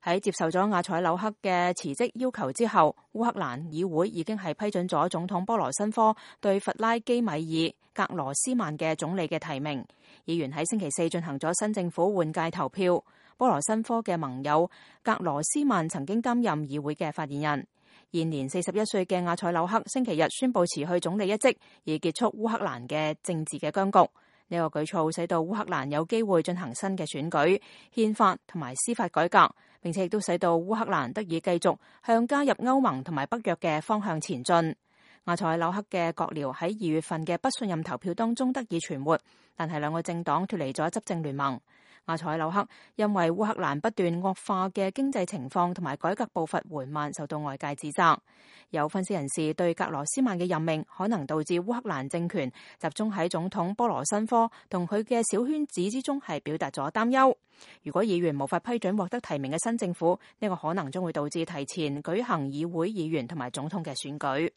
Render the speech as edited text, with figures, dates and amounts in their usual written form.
喺接受咗亞采紐克嘅辭職要求之後，烏克蘭議會已經係批准咗總統波羅申科對弗拉基米爾·格羅斯曼嘅總理嘅提名。議員喺星期四進行咗新政府換屆投票。波羅申科嘅盟友格羅斯曼曾經擔任議會嘅發言人。現年41歲嘅亞采紐克星期日宣布辭去總理一職，以結束烏克蘭嘅政治嘅僵局。呢個舉措使到烏克蘭有機會進行新嘅選舉、憲法同埋司法改革，並且亦都使到烏克蘭得以繼續向加入歐盟同埋北約嘅方向前進。亞采紐克嘅閣僚喺2月份嘅不信任投票當中得以存活，但係兩個政黨脫離咗執政聯盟。亞采紐克因為烏克蘭不斷惡化嘅經濟情況同埋改革步伐緩慢，受到外界指責。有分析人士對格羅斯曼嘅任命可能導致烏克蘭政權集中喺總統波羅申科同佢嘅小圈子之中係表達咗擔憂。如果議員無法批准獲得提名嘅新政府，呢個可能將會導致提前舉行議會議員同埋總統嘅選舉。